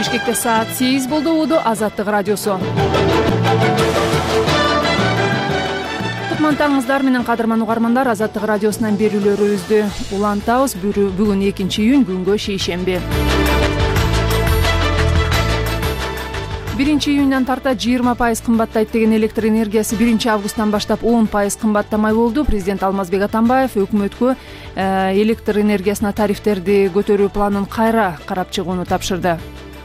Бишкекте саат 8 болду. Уду Азаттык радиосу. Кутмантаңыздар менен кадырман угармандар, Азаттык радиосунан берүүлөрүбүздү улантабыз. Бүгүн 2-июнь, күнгө шейшемби. 1-июндан тарта 20% кымбаттайт деген электр энергиясы 1-августтан баштап 10% кымбаттамай болду. Президент Алмазбек Атамбаев өкмөткө электр энергиясына тарифтерди көтөрүү планын кайра карап чыгууну тапшырды.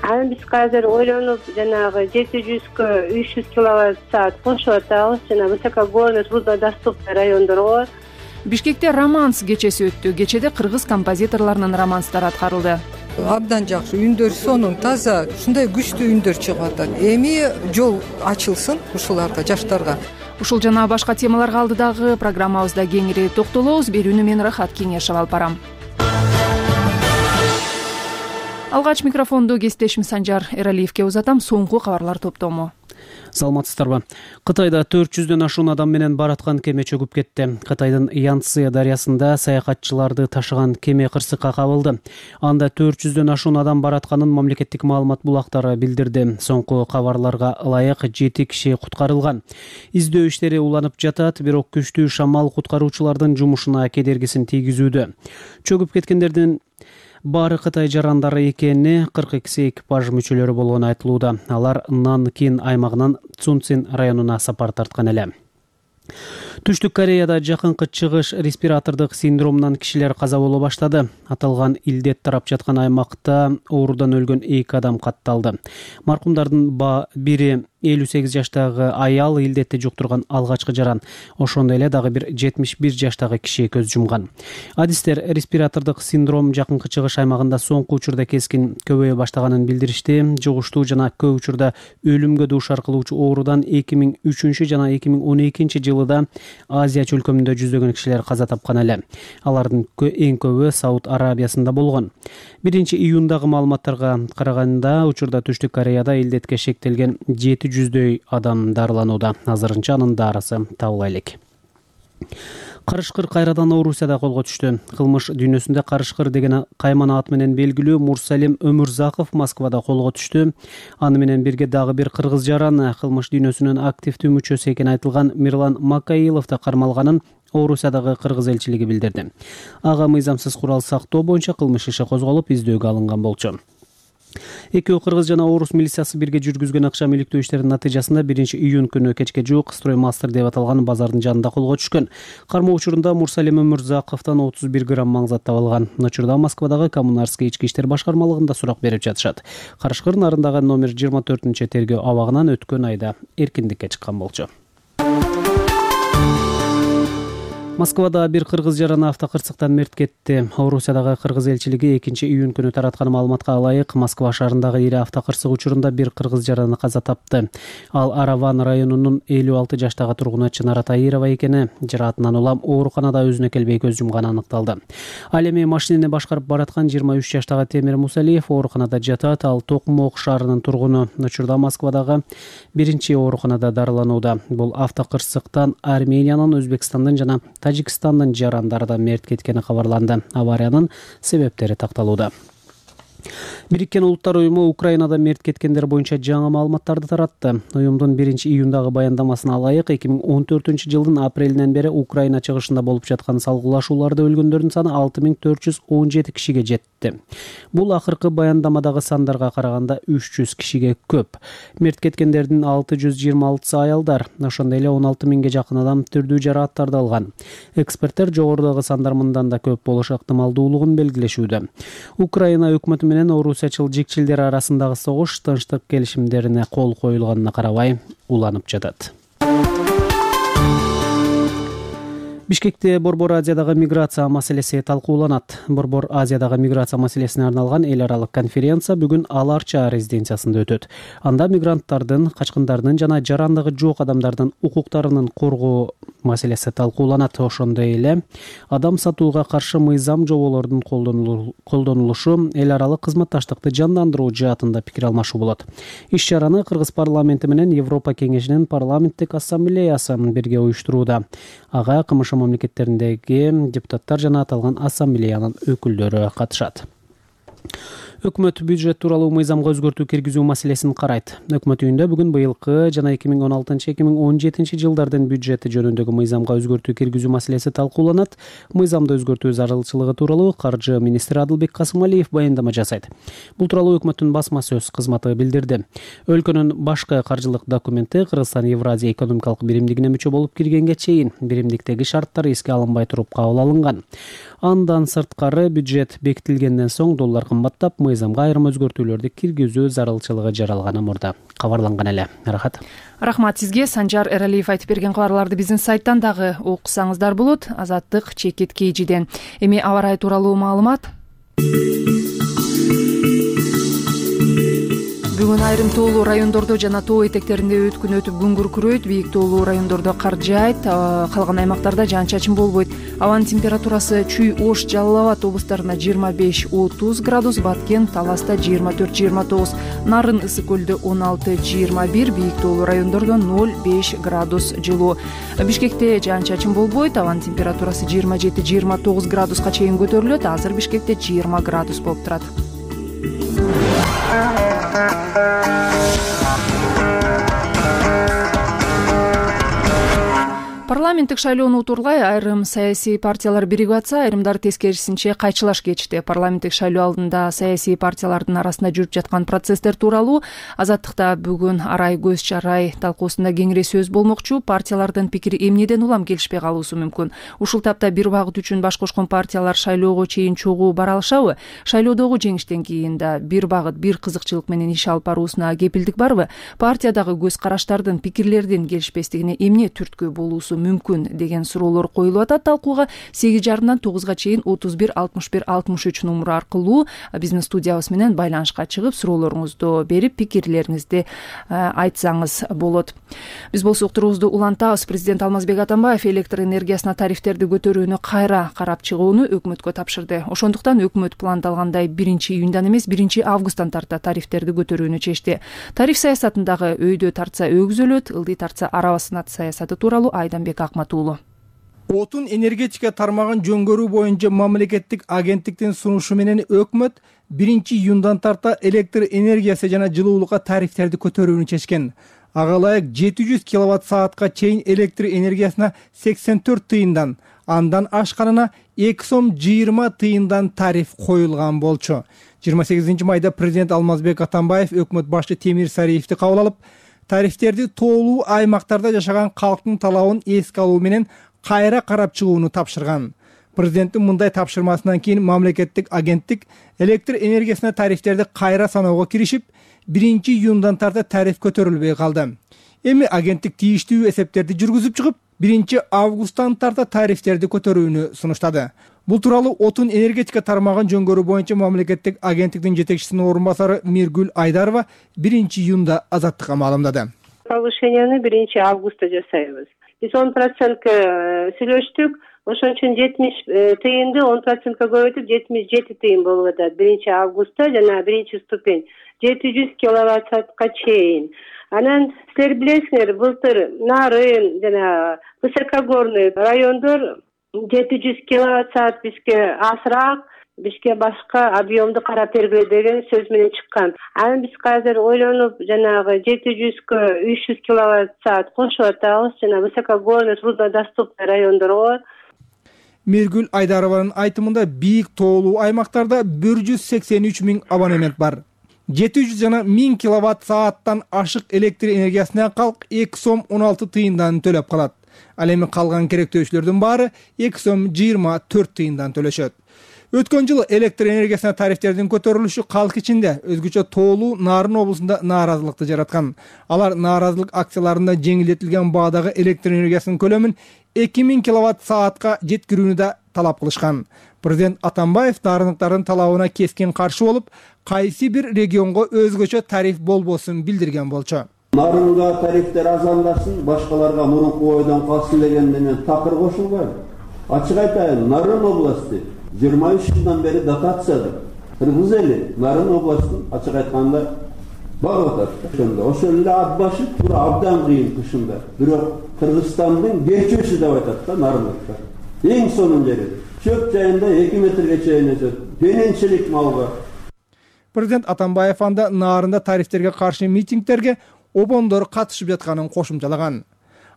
Анан биз азыр ойлонуп, жанагы 700кө 300 киловатт саат кошуп атабыз. Жана высокогорный, труднодоступный райондорго. Бишкекте романс кечеси өттү. Кечеде кыргыз композиторлорунун романстары аткарылды. Абдан жакшы, үндөр сонун, таза, ушундай күчтүү үндөр чыгып атат. Эми жол ачылсын ушуларга, жаштарга. Ушул жана башка темаларга алдыдагы программабызда кеңири токтолобуз. Берүүнү мен Рахат Кеңешев алып барам. Алгач микрофонду кесиптешим Санжар Эралиевке узатам. Соңку кабарлар топтому. Саламатсыздарбы. Кытайда 400дөн ашуун адам менен бараткан кеме чөгүп кетти. Кытайдын Янцзы дарыясында саякатчыларды ташыган кеме кырсыкка кабылды. Анда 400дөн ашуун адам баратканын мамлекеттик маалымат булактары билдирди. Соңку кабарларга ылайык 7 киши куткарылган. Издөө иштери уланып жатат, бирок күчтүү шамал куткаруучулардын жумушуна кедергисин тийгизүүдө. Чөгүп кеткендердин баары Кытай жарандары экени, 42 экипаж мүчөлөрү болгону айтылууда. Алар Нанкин аймагынан Цунцин районуна сапар тарткан эле. Түштүк Кореяда жакынкы чыгыш респиратордук синдромунан кишилер каза боло баштады. Аталган илдет тарап жаткан аймакта оорудан өлгөн 2 адам катталды. Маркумдардын бири 58 жаштагы аял илдетти жуктурган алгачкы жаран. Ошондой эле дагы бир 71 жаштагы киши көз жумган. Адистер респиратордук синдром жакынкы чыгыш аймагында соңку учурда кескин көбөйө баштаганын билдиришти. Жугуштуу жана көп учурда өлүмгө дуушар кылуучу оорудан 2003 жана 2012 жылыда Азия чөлкөмүндө жүздөгөн кишилер каза тапкан эле. Алардын эң көбү Сауд Арабиясында болгон. 1-июндагы маалыматтарга караганда, учурда Түштүк Кореяда илдетке шектелген 700дөй адам дарыланууда. Азырынча анын дарысы табыла элек. Карышкыр кайрадан Орусияда колго түштү. Кылмыш дүйнөсүндө Карышкыр деген кайман ат менен белгилүү Мурсалим Өмүрзаков Москвада колго түштү. Аны менен бирге дагы бир кыргыз жаран, кылмыш дүйнөсүнүн активдүү мүчөсү экени айтылган Мирлан Макаиловду кармалганын Орусиядагы кыргыз элчилиги билдирди. Ага мыйзамсыз курал сактоо боюнча кылмыш иши козголуп, издөөгө алынган болчу. Экөө кыргыз жана орус милициясы бирге жүргүзгөн акча иликтөө иштеринин натыйжасында 1-июнь күнү кечке жуук Строймастер деп аталган базардын жанында колго түшкөн. Кармоо учурунда Мурсалим Өмүрзаковдон 31 грамм маңзат табылган. Учурда Москвадагы Коммунарский ички иштер башкармалыгында сурак берип жатышат. Карышкыр нарындагы номер 24 тергөө абагынан өткөн айда эркиндикке чыккан болчу. Москвада бир кыргыз жараны автокырсыктан мерт кетти. Орусиядагы кыргыз элчилиги 2-июнь күнү тараткан маалыматка ылайык Москва шаарындагы ири автокырсык учурунда бир кыргыз жараны каза тапты. Ал Араван районунун 56 жаштагы тургуну Чынара Таирова экени, жараатынан улам ооруканада өзүнө келбей көз жумганы аныкталды. Ал эми машинени башкарып бараткан 23 жаштагы Темир Мусалиев ооруканада жатат. Ал Токмок шаарынын тургуну. Учурда Москвадагы биринчи ооруканада дарыланууда. Бул автокырсыктан Армениянын, Өзбекстандын жана Тажикстандын жарандары да мерт кеткени кабарланды. Авариянын себептери такталууда. Бириккен Улуттар уюму Украинада мерт кеткендер боюнча жаңы маалыматтарды таратты. Уюмдун 1-июндагы баяндамасына ылайык 2014 жылдын апрелинен бери Украина чыгышында болуп жаткан салгылашууларда өлгөндөрдүн саны 6417 кишиге жетти. Бул акыркы баяндамадагы сандарга караганда 300 кишиге көп. Мерт кеткендердин 626 аялдар, ошондой эле 16 миңге жакын адам түрдүү жарааттарды алган. Эксперттер жогорудагы сандар мындан да көп болуш ыктымалдуулугун белгилешүүдө. Украина өкмөтү менен орусиячыл жикчилдер арасындагы согуш тынчтык келишимдерине кол коюлганына карабай уланып жатат. Бишкекте Борбор Азиядагы миграция маселеси талкууланат. Борбор Азиядагы миграция маселесине арналган эл аралык конференция бүгүн Аларча резиденциясында өтөт. Анда мигранттардын, качкындардын жана жарандыгы жок адамдардын укуктарынын коргоо маселеси талкууланат. Ошондой эле адам сатууга каршы мыйзам жоболордун колдонулушу, эл аралык кызматташтыкты жандандыруу жаатында пикир алмашуу болот. Иш-чараны Кыргыз парламенти менен Европа кеңешинин парламенттик ассамблеясы бирге уюштурууда. Ага кымыш мамлекеттериндеги депутаттар жана аталган ассамблеянын өкүлдөрү катышат. Өкмөт бюджет тууралуу мыйзамга өзгөртүү киргизүү маселесин карайт. Өкмөт үйүндө бүгүн быйылкы жана 2016-2017 жылдардын бюджети жөнүндөгү мыйзамга өзгөртүү киргизүү маселеси талкууланат. Мыйзамды өзгөртүү зарылчылыгы тууралуу каржы министри Адылбек Касымалиев баяндама жасайт. Бул тууралуу өкмөттүн басма сөз кызматы билдирди. Өлкөнүн башкы каржылык документи Кыргызстан Евразия экономикалык биримдигине мүчө болуп киргенге чейин биримдиктеги шарттар эске алынбай туруп кабыл алынган. Андан сырткары бюджет бекитилгенден соң доллар кымбаттап, мыйзамга айрым өзгөртүүлөрдү киргизүү зарылчылыгы жаралганы мурда кабарланган эле. Рахмат сизге. Санжар Эралиев айтып берген кабарларды биздин сайттан дагы окусаңыздар болот. Азаттык Чекит Кейжиден. Эми аба ырайы тууралуу маалымат. Бүгүн айрым тоолуу райондордо жана тоо этектеринде өткүн өтүп күн күркүрөйт. Бийик тоолуу райондордо кар жаайт, калган аймактарда жаан-чачын болбойт. Абанын температурасы Чүй, Ош, Жалал Абад облустарында 25-30 градус, Баткен, Таласта 24-29, Нарын, Ысык көлдө 16-21, бийик тоолуу райондордо 0-5 градус жылуу. Бишкекте жаан-чачын болбойт, абанын температурасы 27-29 градуска чейин көтөрүлөт. Азыр Бишкекте 20 градус болуп турат. Парламенттик шайлоону утурлай айрым саясий партиялар биригип атса, айрымдары тескерисинче кайчылаш кечти. Парламенттик шайлоо алдында саясий партиялардын арасында жүрүп жаткан процесстер тууралуу Азаттыкта бүгүн арай көз чарай талкуусунда кеңири сөз болмокчу. Партиялардын пикири эмнеден улам келишпей калуусу мүмкүн. Ушул тапта бир багыт үчүн баш кошкон партиялар шайлоого чейин чогуу бара алышабы? Шайлоодогу жеңиштен кийин да бир багыт, бир кызыкчылык менен иш алып баруусуна кепилдик барбы? Партиядагы көз караштардын, пикирлердин келишпестигине эмне түрткү болуусу мүмкүн деген суроолор коюлуп атат. Талкууга 8:30-дан 9-га чейин 31 61 63 номуру аркылуу биздин студиябыз менен байланышка чыгып, суроолоруңузду берип, пикирлериңизди айтсаңыз болот. Биз болсо уктуруубузду улантабыз. Президент Алмазбек Атамбаев электр энергиясына тарифтерди көтөрүүнү кайра карап чыгууну өкмөткө тапшырды. Ошондуктан өкмөт пландалгандай 1-июндан эмес 1-августтан тарта тарифтерди көтөрүүнү чечти. Тариф саясатындагы өйдө тартса өгүзөлөт, ылдый тартса арабасынат саясаты тууралуу Айданбек Акматуулу. Отун энергетика тармагын жөнгөрүү боюнча мамлекеттик агенттиктин сунушу менен өкмөт 1-июндан тарта электр энергиясы жана жылуулукка тарифтерди көтөрүүнү чечкен. Ага ылайык 700 киловатт-саатка чейин электр энергиясына 84 тыйындан, андан ашканына 2 сом 20 тыйындан тариф коюлган болчу. 28 майда президент Алмазбек Атамбаев өкмөт башчы Темир Сариевди кабыл алып, тарифтерди тоолуу аймактарда жашаган калктын талабын эске алуу менен кайра карап чыгууну тапшырган. Президенттин мындай тапшырмасынан кийин мамлекеттик агенттик электр энергиясына тарифтерди кайра саноого киришип, 1-июндан тарта тариф көтөрүлбөй калды. Эми агенттик тийиштүү эсептерди жүргүзүп чыгып, 1-августтан тарта тарифтерди көтөрүүнү сунуштады. Бул тууралуу отун энергетика тармагын жөнгөрүү боюнча мамлекеттик агенттиктин жетекчисинин орун басары Миргүл Айдарова 1-июнда Азаттыкка маалымдады. Повышенияны 1-августта жасайбыз. Биз 10% сүйлөштүк. Ошон үчүн 70 тыйынды 10% көбөйтүп 77 тыйын болуп атат. 1-августта жана 1-ступень 700 киловатт-саатка чейин. Анан силер билесиңер, былтыр Нарын жана Высокогорный райондор 700 киловатт-саат бизге асыраак, бизге башка объемду карап бергиле деген сөз менен чыккан. Анан биз азыр ойлонуп, жанагы 700-кө 300 киловатт-саат кошуп атабыз, жана Высокогорный, труднодоступный райондорго. Миргүл Айдарованын айтымында бийик тоолуу аймактарда 183 000 абонемент бар. 700 жана 1000 киловатт-сааттан ашык электр энергиясына калк 2 сом 16 тыйындан төлөп калат. Ал эми калган керектөөчүлөрдүн баары 2 сом 24 тыйындан төлөшөт. Өткөн жылы электр энергиясына тарифтердин көтөрүлүшү калк ичинде өзгөчө тоолуу Нарын облусунда нааразылыкты жараткан. Алар нааразылык акцияларында жеңилдетилген баадагы электр энергиясынын көлөмүн 2000 киловатт-саатка жеткирүүнү да талап кылышкан. Президент Атамбаев нарыныктардын талабына кескин каршы болуп, кайсы бир регионго өзгөчө тариф болбосун билдирген болчу. Нарынга тарифтер азамдасын, башкаларга мурунку ойдон калсын дегенде мен такыр кошулбайм. Ачык айтайын, Нарын областы 23 жылдан бери дотациядыр. Кыргыз эли Нарын областын ачык айтканда багып атат. Ошол эле ат башы туура абдан кыйын кышында. Бирок Кыргызстандын кечүүсү деп атат да нарындыктар. Эң сонун жери. Чөп жайында 2 метрге чейин өсөт. Дененчилик малга. Президент Атамбаев анда наарында тарифтерге каршы митингдерге обондор катышып жатканын кошумчалаган.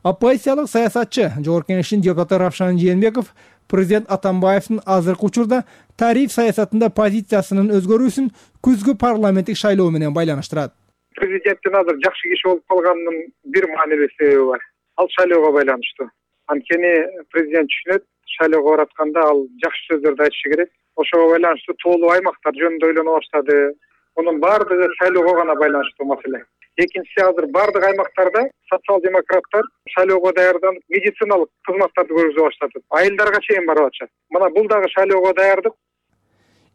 Оппозициялык саясатчы Жогорку Кеңештин депутаты Равшан Жээнбеков президент Атамбаевдин азыркы учурда тариф саясатында позициясынын өзгөрүүсүн күзгү парламенттик шайлоо менен байланыштырат. Президенттин азыр жакшы киши болуп калганынын бир маанилүү себеби бар. Ал шайлоого байланыштуу. Анткени президент түшүнөт, шайлоого баратканда ал жакшы сөздөрдү айтышы керек. Ошого байланыштуу тоолуу аймактар жөнүндө ойлоно баштады. Мунун баардыгы шайлоого гана байланыштуу маселе. Экинчиси, азыр баардык аймактарда социал-демократтар шайлоого даярданып медициналык кызматтарды көргөзө баштады. Айылдарга чейин барып атышат. Мына бул дагы шайлоого даярдык.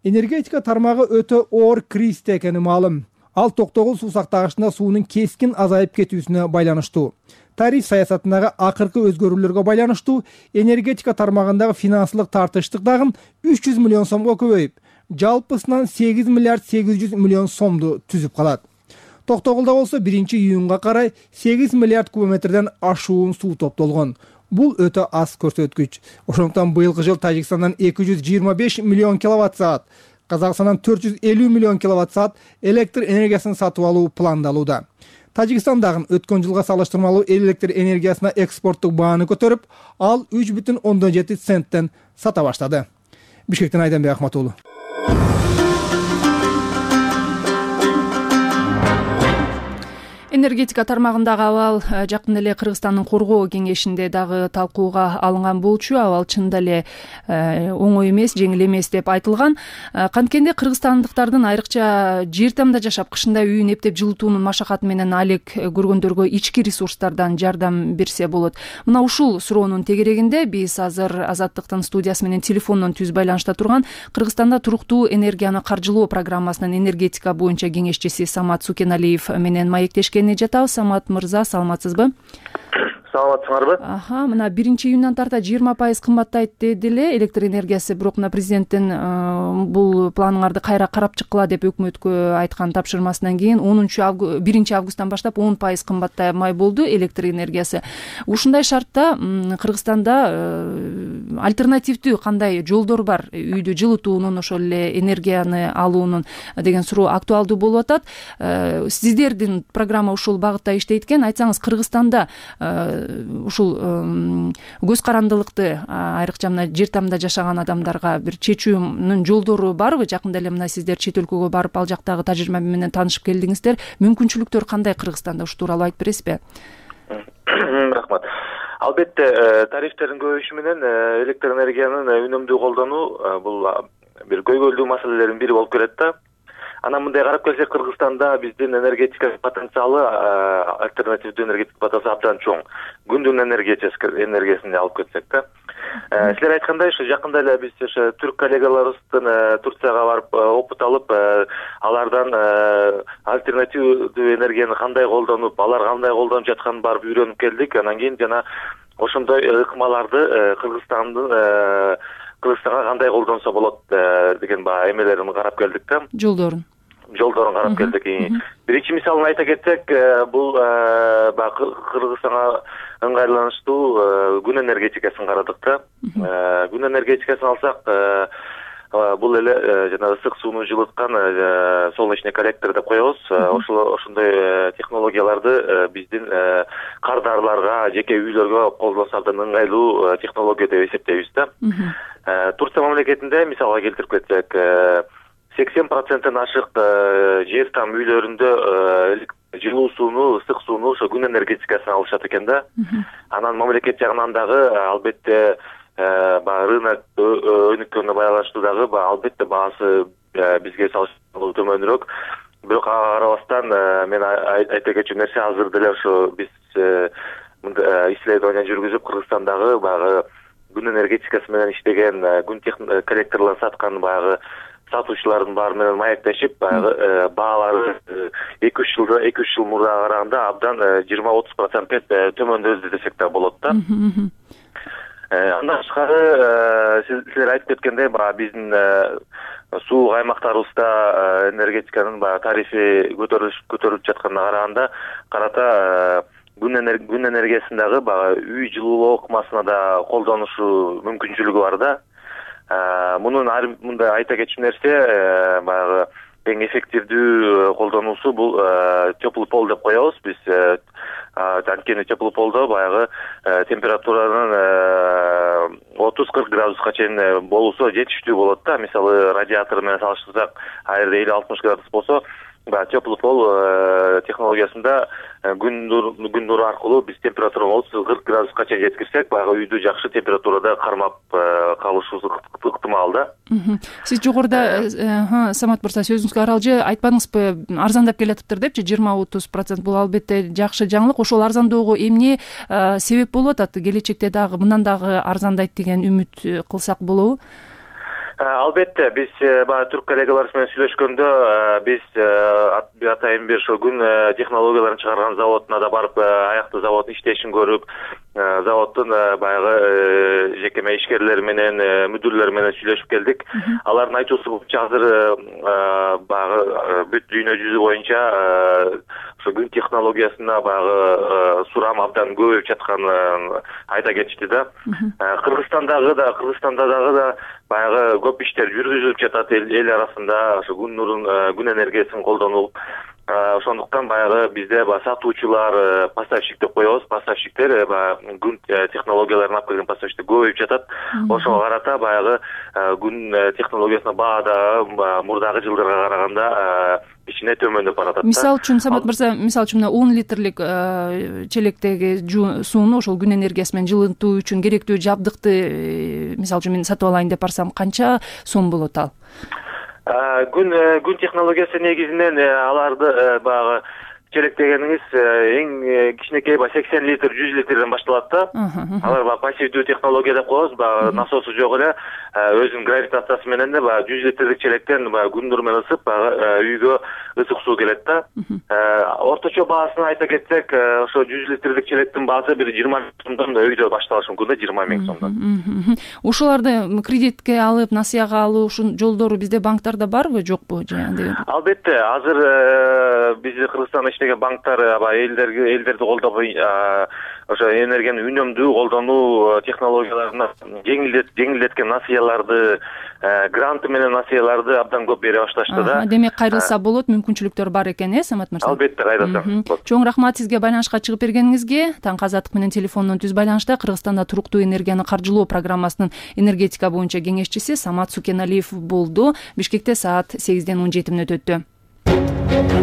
Энергетика тармагы өтө оор кризисте экени маалым. Ал токтогул суу сактагычында суунун кескин азайып кетүүсүнө байланыштуу. Тариф саясатындагы акыркы өзгөрүүлөргө байланыштуу энергетика тармагындагы финансылык тартыштык дагы 300 миллион сомго көбөйүп, жалпысынан 8 миллиард 800 миллион сомду түзүп калат. Токтогулда болсо 1-июнга карай 8 миллиард кубометрден ашуун суу топтолгон. Бул өтө аз көрсөткүч. Ошондуктан быйылкы жыл Тажикстандан 225 миллион киловатт саат, Казакстандан 450 миллион киловатт саат электр энергиясын сатып алуу пландалууда. Тажикстан дагы өткөн жылга салыштырмалуу электр энергиясына экспорттук бааны көтөрүп, ал 3,7 центтен сата баштады. Бишкектен Айданбек Ахматуулу. Энергетика тармагындагы абал жакында эле Кыргызстандын коргоо кеңешинде дагы талкууга алынган болчу. Абал чында эле оңой эмес, жеңил эмес деп айтылган. Канткенде кыргызстандыктардын айрыкча жер тамда жашап, кышында үйүн эптеп жылытуунун машакаты менен алек көргөндөргө ички ресурстардан жардам берсе болот. Мына ушул суроонун тегерегинде биз азыр Азаттыктын студиясы менен телефондон түз байланышта турган Кыргызстанда туруктуу энергияны каржылоо программасынын энергетика боюнча кеңешчиси Самат Сукеналиев менен маектешкен жатабыз. Самат мырза, саламатсызбы? Саламатсыңарбы? Мына 1-июндан тарта 20% кымбаттайт деди эле электр энергиясы, бирок мына президенттин бул планыңарды кайра карап чыккыла деп өкмөткө айткан тапшырмасынан кийин 1 августтан баштап 10% кымбаттамай болду электр энергиясы. Ушундай шартта Кыргызстанда альтернативдүү кандай жолдор бар үйдү жылытуунун, ошол эле энергияны алуунун деген суроо актуалдуу болуп атат. Сиздердин программа ушул багытта иштейт экен. Айтсаңыз, Кыргызстанда ушул көз карандылыкты айрыкча мына жер тамда жашаган адамдарга бир чечүүнүн жолдору барбы? Жакында эле мына сиздер чет өлкөгө барып ал жактагы тажрыйба менен таанышып келдиңиздер. Мүмкүнчүлүктөр кандай Кыргызстанда? Ушу тууралуу айтып бересизби? Рахмат. Албетте, тарифтердин көбөйүшү менен электр энергиянын үнөмдүү колдонуу бул бир көйгөйлүү маселелердин бири болуп келет да. Анан мындай карап келсек, Кыргызстанда биздин энергетика потенциалы, альтернативдүү энергетика потенциалы абдан чоң. Күндүн энергиясын алып кетсек да. Силер айткандай, ушу жакында эле биз түрк коллегаларыбыздын Турцияга барып опыт алып, алардан альтернативдүү энергияны кандай колдонуп, алар кандай колдонуп жатканын барып үйрөнүп келдик. Анан кийин жана ошондой ыкмаларды Кыргызстанга кандай колдонсо болот деген эмелерин карап келдик да. Жолдорун карап келдик. Биринчи мисалын айта кетсек, бул Кыргызстанга ыңгайланыштуу күн энергетикасын карадык да. Күн энергетикасын алсак, бул эле жана ысык сууну жылыткан солнечный коллектор деп коебуз. Ошондой технологияларды биздин кардарларга, жеке үйлөргө колдонсо абдан ыңгайлуу технология деп эсептейбиз да. Турция мамлекетинде мисалга келтирип кетсек, 80%-тен ашык жер там үйлөрүндө жылуу сууну, ысык сууну ошо күн энергетикасынан алышат экен да. Анан мамлекет жагынан дагы албетте рынок өнүккөнүнө байланыштуу дагы албетте баасы бизге салыштырмалуу төмөнүрөөк. Бирок ага карабастан мен айта кетчү нерсе, азыр деле ошо биз исследование жүргүзүп Кыргызстандагы баягы күн энергетикасы менен иштеген, күн коллекторлорун саткан баягы сатуучулардын баары менен маектешип, баягы баалары 2-3 жыл мурдага караганда абдан 20-30% төмөндөдү десек да болот да. Андан тышкары силер айтып кеткендей, биздин суук аймактарыбызда энергетиканын тарифи көтөрүлүп жатканына карата күн энергиясындагы үй жылуулоо ыкмасына да колдонушу мүмкүнчүлүгү бар да. Мунун мындай айта кетчү нерсе, баягы эң эффективдүү колдонуусу бул теплый пол деп коебуз биз. Анткени теплый полдо баягы температуранын 30-40 градуска чейин болуусу жетиштүү болот да. Мисалы радиатор менен салыштырсак, ал жерде 50-60 градус болсо, теплый пол технологиясында күн нуру аркылуу биз температураны 30-40 градуска чейин жеткирсек, баягы үйдү жакшы температурада кармап калышыбыз ыктымал да. Сиз жогоруда Самат мырза сөзүңүзгө аралжы айтпадыңызбы, арзандап келатыптыр депчи, 20-30%. Бул албетте жакшы жаңылык. Ошол арзандоого эмне себеп болуп атат? Келечекте дагы мындан дагы арзандайт деген үмүт кылсак болобу? Албетте, биз баягы түрк коллегаларыбыз менен сүйлөшкөндө биз атайын бир ошо күн технологияларын чыгарган заводуна да барып, аякты завод иштешин көрүп, заводдун баягы жекеме ишкерлери менен, мүдүрлөр менен сүйлөшүп келдик. Алардын айтуусу боюнча азыр баягы бүт дүйнө жүзү боюнча ошо күн технологиясына баягы сурам абдан көбөйүп жатканын айта кетишти да. Кыргызстанда дагы баягы көп иштер жүргүзүлүп жатат эл арасында, ошо күн нурун, күн энергиясын колдонуп. Ошондуктан баягы бизде сатуучулар, поставщик деп коебуз, поставщиктер баягы күн технологияларын алып келген поставщиктер көбөйүп жатат. Ошого карата баягы күн технологиясына баа да мурдагы жылдарга караганда кичине төмөндөп баратат. Мисалы үчүн Самат мырза, мисалы үчүн 10 литрлик челектеги сууну ошол күн энергиясы менен жылытуу үчүн керектүү жабдыкты мисалы үчүн мен сатып алайын деп барсам, канча сом болот ал? Күн технологиясы негизинен аларды баягы челек дегениңиз эң кичинекей 80 литр, 100 литрден башталат да. Алар пассивдүү технология деп коебуз, насосу жок эле, өзүнүн гравитациясы менен да 100 литрдик челектен күн нуру менен ысып, үйгө ысык суу келет да. Орточо баасын айта кетсек, ошо 100 литрдик челектин баасы бир 20 миң сомдон өйдө башталышы мүмкүн да, 20 миң сомдон. Ошоларды кредитке алып, насыяга алуушун жолдору бизде банктарда барбы, жокпу? Албетте, азыр бизде Кыргызстанда иштеген банктар элдерди колдоп, ошо энергияны үнөмдүү колдонуу технологияларына жеңилдеткен насыяларды, гранты менен насыяларды абдан көп бере башташты да. Демек кайрылса болот, мүмкүнчүлүктөр бар экен, Самат мырза? Албетте, кайрылса. Чоң рахмат сизге байланышка чыгып бергениңизге. Таңкы Азаттык менен телефондон түз байланышта Кыргызстанда туруктуу энергияны каржылоо программасынын энергетика боюнча кеңешчиси Самат Сукеналиев болду. Бишкекте саат 8:17 өттү.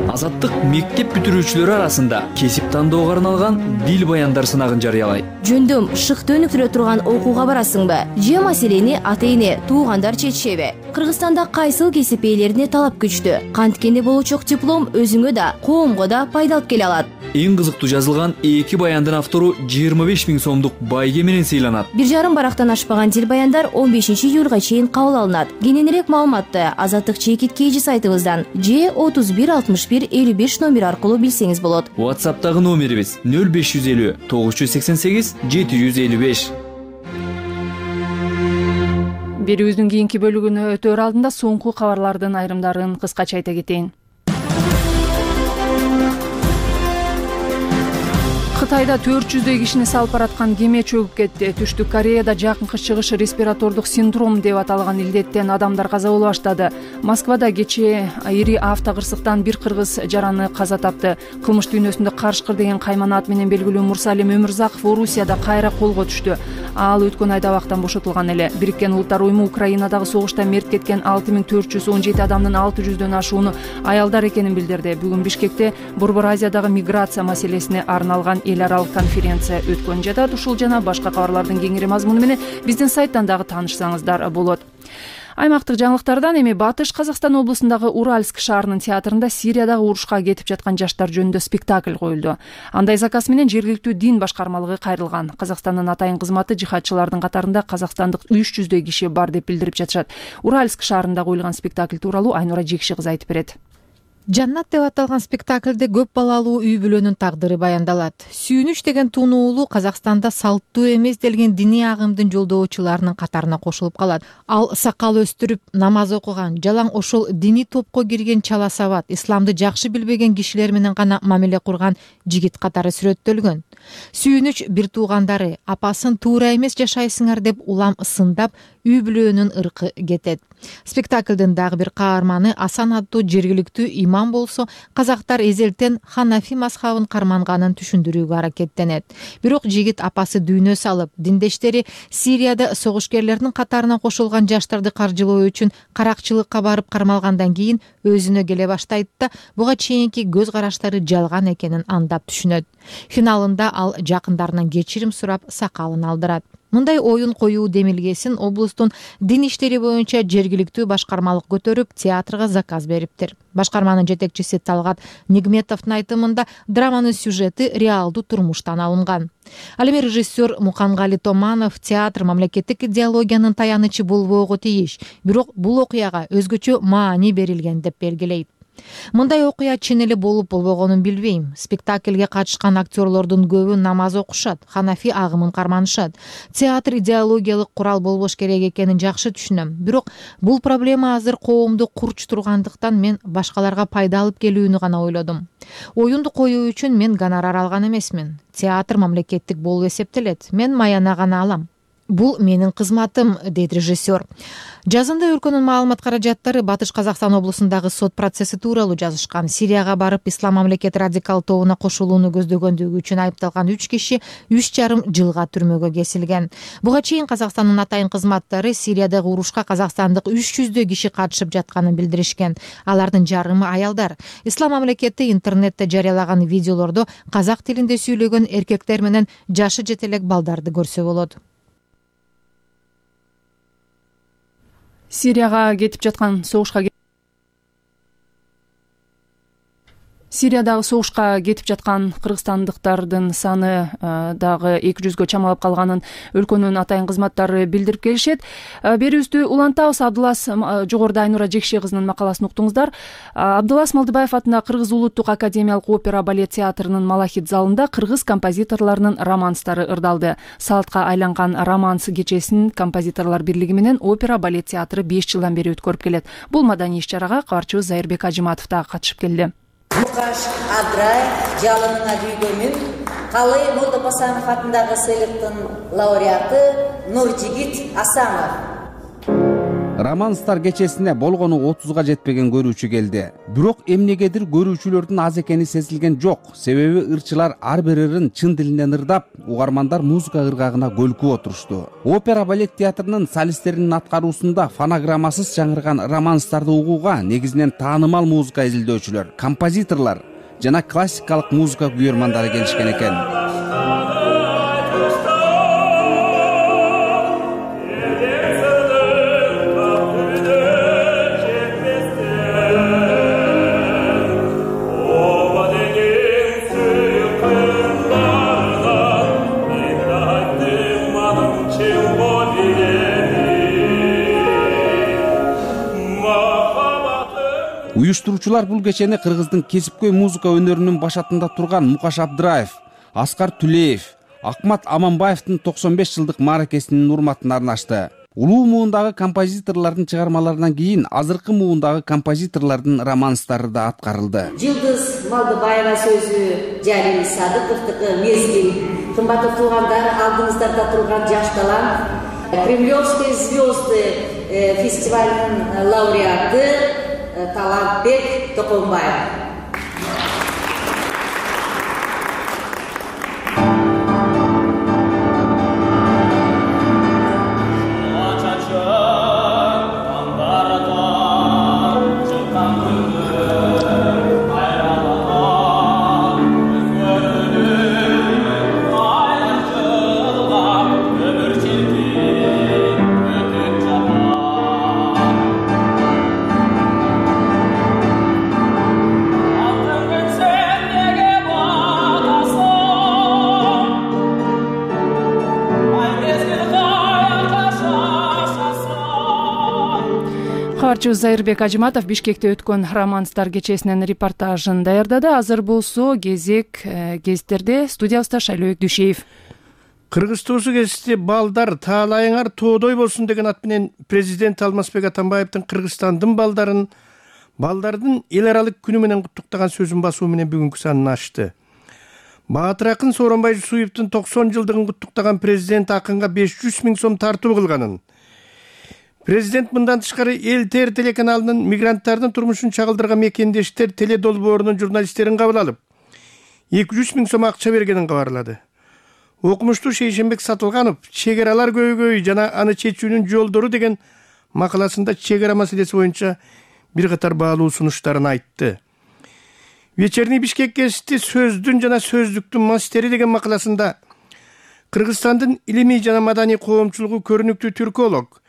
Азаттык мектеп бүтүрүүчүлөрү арасында кесип тандоого арналган дил баяндар сынагын жарыялайт. Жөндөм шыкты өнүктүрө турган окууга барасыңбы? Же маселени ата-эне, туугандар чечишеби? Кыргызстанда кайсыл кесип ээлерине талап күчтүү? Канткени болочок диплом өзүңө да, коомго да пайда алып келе алат. Эң кызыктуу жазылган 2 баяндын автору 25 миң сомдук байге менен сыйланат. 1,5 барактан ашпаган дил баяндар 15 июлга чейин кабыл алынат. Кененирээк маалыматты Азаттык чекит KG сайтыбыздан же 31 61 55 номер аркылуу билсеңиз болот. WhatsApp'тагы номерибиз 0550 988 755. Берүүбүздүн кийинки бөлүгүнө өтөр алдында соңку кабарлардын айрымдарын кыскача айта кетейин. Кытайда 400 кишини салып бараткан кеме чөгүп кетти. Түштүк Кореяда жакынкы чыгыш респиратордук синдром деп аталган илдеттен адамдар каза боло баштады. Москвада кечээ ири автокырсыктан бир кыргыз жараны каза тапты. Кылмыш дүйнөсүндө Карышкыр деген кайман ат менен белгилүү Мурсалим Өмүрзаков Орусияда кайра колго түштү. Ал өткөн айда абактан бошотулган эле. Бириккен Улуттар уюму Украинадагы согушта мерт кеткен 6417 адамдын 600дөн ашууну аялдар экенин билдирди. Бүгүн Бишкекте Борбор Азиядагы миграция маселесине арналган эл аралык конференция өткөн жатат. Ушул жана башка кабарлардын кеңири мазмуну менен биздин сайттан дагы таанышсаңыздар болот. Аймактык жаңылыктардан эми Батыш Казакстан облусундагы Уральск шаарынын театрында Сириядагы урушка кетип жаткан жаштар жөнүндө спектакль коюлду. Андай заказ менен жергиликтүү дин башкармалыгы кайрылган. Казакстандын атайын кызматы жихадчылардын катарында казакстандык 300 киши бар деп билдирип жатышат. Уральск шаарында коюлган спектакль тууралуу Айнура Жекши кызы айтып берет. Жаннат деп аталган спектакльде көп балалуу үй бүлөнүн тагдыры баяндалат. Сүйүнүч деген тунуулу Казакстанда салттуу эмес делген диний агымдын жолдоочуларынын катарына кошулуп калат. Ал сакал өстүрүп, намаз окуган, жалаң ошол диний топко кирген чала сабат, исламды жакшы билбеген кишилер менен гана мамиле курган жигит катары сүрөттөлгөн. Сүйүнүч бир туугандары апасын туура эмес жашайсыңар деп улам сындап, үй бүлөнүн ыркы кетет. Спектаклдын дагы бир каарманы Асан аттуу жергиликтүү имам болсо, казактар эзелтен Ханафи мазхабын карманганын түшүндүрүүгө аракеттенет. Бирок жигит апасы дүйнө салып, диндештери Сирияда согушкерлердин катарына кошулган жаштарды каржылоо үчүн каракчылыкка барып кармалгандан кийин өзүнө келе баштайт да, буга чейинки көз караштары жалган экенин андап түшүнөт. Финалында ал жакындарынан кечирим сурап сакалын алдырат. Мындай оюн коюу демилгесин облустун дин иштери боюнча жергиликтүү башкармалык көтөрүп, театрга заказ бериптир. Башкарманын жетекчиси Талгат Нигметовдун айтымында драманын сюжети реалдуу турмуштан алынган. Ал эми режиссер Мукангали Томанов театр мамлекеттик идеологиянын таянычы болбоого тийиш, бирок бул окуяга өзгөчө маани берилген деп белгилейт. Мындай окуя чын эле болуп болбогонун билбейм. Спектакльге катышкан актерлордун көбү намаз окушат, Ханафи агымын карманышат. Театр идеологиялык курал болбош керек экенин жакшы түшүнөм. Бирок бул проблема азыр коомду курч тургандыктан мен башкаларга пайда алып келүүнү гана ойлодум. Оюнду коюу үчүн мен гонорар алган эмесмин. Театр мамлекеттик болуп эсептелет. Мен маяна гана алам. Бул менин кызматым, дейт режиссер. Жазында өлкөнүн маалымат каражаттары Батыш Казакстан облусундагы сот процесси тууралуу жазышкан. Сирияга барып Ислам мамлекет радикал тобуна кошулууну көздөгөндүгү үчүн айыпталган 3 киши 3,5 жылга түрмөгө кесилген. Буга чейин Казакстандын атайын кызматтары Сириядагы урушка казакстандык 300 киши катышып жатканын билдиришкен. Алардын жарымы аялдар. Ислам мамлекети интернетте жарыялаган видеолордо казак тилинде сүйлөгөн эркектер менен жашы жете элек балдарды көрсө болот. Сирияга кетип жаткан Сириядагы согушка кетип жаткан кыргызстандыктардын саны дагы 200гө чамалап калганын өлкөнүн атайын кызматтары билдирип келишет. Берүүбүздү улантабыз. Абдулас жогоруда Айнура Жекше кызынын макаласын уктуңуздар. Абдулас Малдыбаев атына Кыргыз улуттук академиялык опера балет театрынын Малахит залында кыргыз композиторлорунун романстары ырдалды. Салтка айланган романс кечесин композиторлор бирлиги менен опера балет театры 5 жылдан бери өткөрүп келет. Бул маданий иш-чарага кабарчыбыз Зайырбек Ажиматов да катышып келди. Мукаш Адрай жалынына күйгөнүн Калый Молдопосанов атындагы сыйлыктын лауреаты Нуржигит Асамов. Романстар кечесине болгону 30га жетпеген көрүүчү келди. Бирок эмнегедир көрүүчүлөрдүн аз экени сезилген жок. Себеби ырчылар ар бир ырын чын тилинен ырдап, угармандар музыка ыргагына көлкүп отурушту. Опера балет театрынын солисттеринин аткаруусунда фонограммасыз жаңырган романстарды угууга негизинен таанымал музыка изилдөөчүлөр, композиторлор жана классикалык музыка күйөрмандары келишкен экен. Уюштуруучулар бул кечени кыргыздын кесипкөй музыка өнөрүнүн башатында турган Мукаш Абдраев, Аскар Түлеев, Акмат Аманбаевдин 95 жылдык мааракесинин урматына арнашты. Улуу муундагы композиторлордун чыгармаларынан кийин азыркы муундагы композиторлордун романстары да аткарылды. Жылдыз Малдыбаева сөзү, Жалил Садыковдуку мезгил, кымбаттуу туугандар, алдыңыздарда турган жаш талант, Кремлевские звезды фестивалынын лауреаты Талантбек Токонбаев. Кабарчыбыз Зайырбек Ажиматов Бишкекте өткөн романстар кечесинен репортажын даярдады. Азыр болсо кезек гезиттерде. Студиябызда Шайлообек Дүйшеев. Кыргыз туусу кезисти балдар таалайыңар тоодой болсун деген ат менен президент Алмазбек Атамбаевдин Кыргызстандын балдардын эл аралык күнү менен куттуктаган сөзүн басуу менен бүгүнкү санын ачты. Баатыр акын Сооронбай Жусуевдин 90 жылдыгын куттуктаган президент акынга 500 000 сом тартуу кылганын, Президент мындан тышкары эл-тер телеканалынын мигранттардын турмушун чагылдырган мекендештер теле долбоорунун журналисттерин кабыл алып 200 миң сом акча бергенин кабарлады. Окумуштуу Шейшенбек Сатылганов чек аралар көйгөйү жана аны чечүүнүн жолдору деген макаласында чек ара маселеси боюнча бир катар баалуу сунуштарын айтты. Вечерний Бишкек гезити сөздүн жана сөздүктүн мастери деген макаласында Кыргызстандын илимий жана маданий коомчулугу көрүнүктүү түрколог,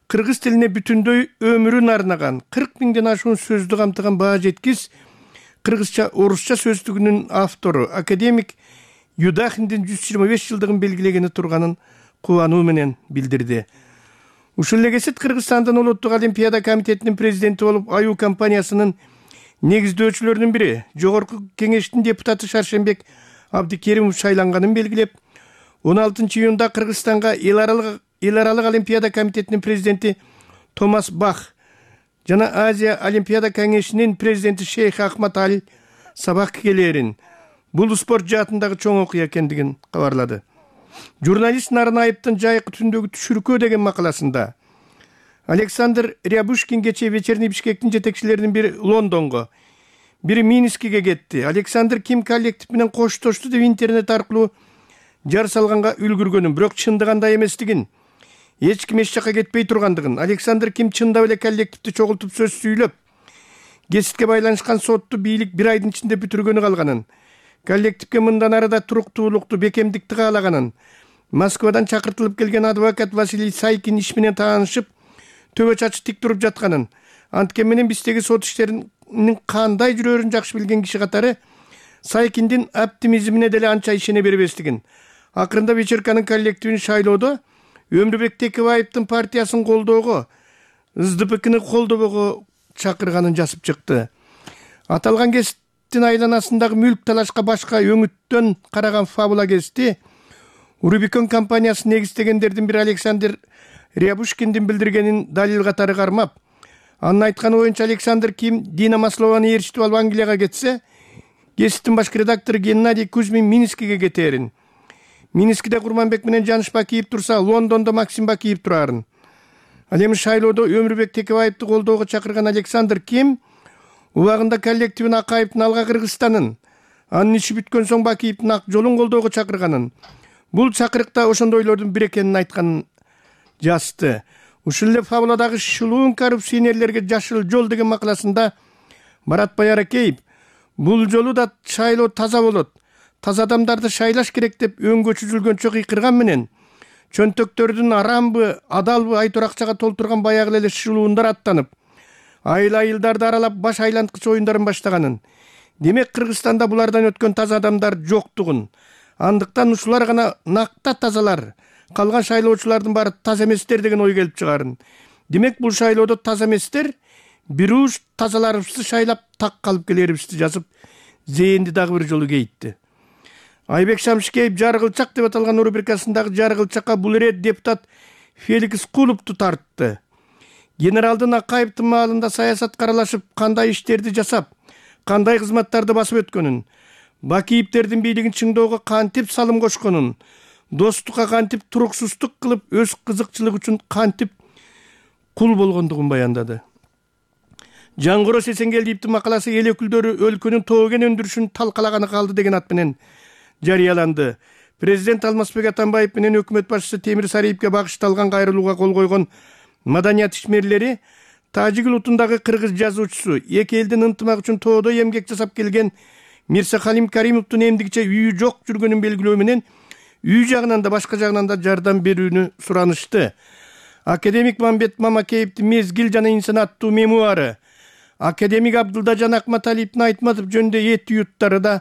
кыргыз тилине бүтүндөй өмүрүн арнаган 40 миңден ашуун сөздү камтыган баа жеткис кыргызча орусча сөздүгүнүн автору академик Юдахиндин 125 жылдыгын белгилегени турганын кубануу менен билдирди. Ушул эле кезет Кыргызстандын улуттук олимпиада комитетинин президенти болуп аюу компаниясынын негиздөөчүлөрүнүн бири жогорку кеңештин депутаты Шаршенбек Абдикеримов шайланганын белгилеп, 16 июнда Кыргызстанга эл аралык олимпиада комитетинин президенти Томас Бах жана Азия олимпиада кеңешинин президенти Шейх Ахмад Али сабак келерин. Бул спорт жаатындагы чоң окуя экендигин кабарлады. Журналист Нарынаевдин жайкы түндөгү түшүркөө деген макаласында Александр Рябушкин кечээ Вечерний Бишкектин жетекчилеринин бири Лондонго, бири Минскиге кетти. Александр Ким коллектив менен коштошту деп интернет аркылуу жар салганга үлгүргөнүн, бирок чындыгында эместигин, эч ким эч жака кетпей тургандыгын, Александр Ким чындап эле коллективди чогултуп сөз сүйлөп, гезитке байланышкан сотту бийлик бир айдын ичинде бүтүргөнү калганын, коллективге мындан арада туруктуулукту, бекемдикти каалаганын, Москвадан чакыртылып келген адвокат Василий Сайкин иш менен таанышып, төбө чачы тик туруп жатканын, анткен менен биздеги сот иштеринин кандай жүрөрүн жакшы билген киши катары Сайкиндин оптимизмине деле анча ишене бербестигин, акырында вечерканын коллективин шайлоодо Өмүрбек Текебаевдин партиясын колдоого, СДПКны колдобого чакырганын жазып чыкты. Аталган гезиттин айланасындагы мүлк талашка башка өңүттөн караган фабула гезити Рубикон компаниясын негиздегендердин бири Александр Рябушкиндин билдиргенин далил катары кармап, анын айтканы боюнча Александр Ким Дина Маслованы ээрчитип алып Англияга кетсе, гезиттин башкы редактору Геннадий Кузьмин Минскиге кетерин. Минскиде Курманбек менен Жаныш Бакиев турса, Лондондо Максим Бакиев турарын. Ал эми шайлоодо Өмүрбек Текебаевди колдоого чакырган Александр Ким убагында коллективин Акаевдин Алга Кыргызстанын, анын иши бүткөн соң Бакиевдин Ак жолун колдоого чакырганын, бул чакырыкта ошондойлордун бири экенин айтканын жазды. Ушул эле фабуладагы шылуун коррупционерлерге жашыл жол деген макаласында Марат Баяракеев бул жолу да шайлоо таза болот, таза адамдарды шайлаш керек деп өңгө чүзүлгөнчө кыйкырган менен чөнтөктөрдүн арамбы, адалбы айтор акчага толтурган баягы эле шылуундар аттанып, айыл-айылдарды аралап баш айланткыч оюндарын баштаганын. Демек Кыргызстанда булардан өткөн таза адамдар жоктугун, андыктан ушулар гана накта тазалар, калган шайлоочулардын баары таза эместер деген ой келип чыгарын. Демек бул шайлоодо таза эместер бир уш тазаларыбызды шайлап так калып келерибизди жазып, зээнди дагы бир жолу кейитти. Айбек Шамшикеев Жаргылчак деп аталган рубрикасындагы Жаргылчакка бул ирет депутат Феликс Кулупту тартты. Генералдын Акаевдин маалында саясатка аралашып, кандай иштерди жасап, кандай кызматтарды басып өткөнүн, Бакиевдердин бийлигин чыңдоого кантип салым кошконун, достукка кантип туруксуздук кылып, өз кызыкчылыгы үчүн кантип кул болгондугун баяндады. Жангоро Сесенгелдиевдин макаласы эл өкүлдөрү өлкөнүн тоо кен өндүрүшүн талкалаганы калды деген ат менен жарыяланды. Президент Алмазбек Атамбаев менен өкмөт башчысы Темир Сариевге багышталган кайрылууга кол койгон маданият ишмерлери Тажик улутундагы кыргыз жазуучусу, эки элдин ынтымак үчүн тоодо эмгек жасап келген Мирса Халим Каримовдун эмдигиче үйү жок жүргөнүн белгилөө менен үй жагынан да башка жагынан да жардам берүүнү суранышты. Академик Мамбет Мамакеевдин Мезгил жана инсан аттуу мемуары, академик Абдылдажан Акматалиевдин Айтматов жөнүндө эт уюттары да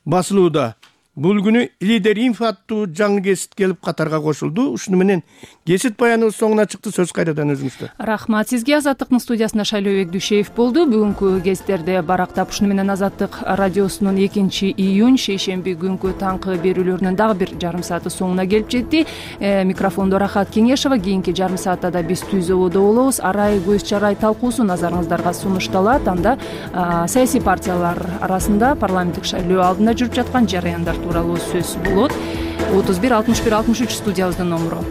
басылууда. Бул күнү Лидер Инфо аттуу жаңы гезит келип катарга кошулду. Ушуну менен гезит баяныбыз соңуна чыкты. Сөз кайрадан өзүңүздө. Рахмат сизге. Азаттыктын студиясында Шайлообек Дүйшеев болду. Бүгүнкү гезиттерди барактап, ушуну менен Азаттык радиосунун 2-июнь шейшемби күнкү таңкы берүүлөрүнүн дагы бир жарым сааты соңуна келип жетти. Микрофондо Рахат Кеңешова. Кийинки жарым саатта да биз Түзөбодо болобуз. Арай көз чарай талкуусу назарыңыздарга сунушталат. Анда саясий партиялар арасында парламенттик шайлоо алдында жүрүп жаткан жараяндар тууралуу сөз болот. 31 61 63 студиябыздын номуру.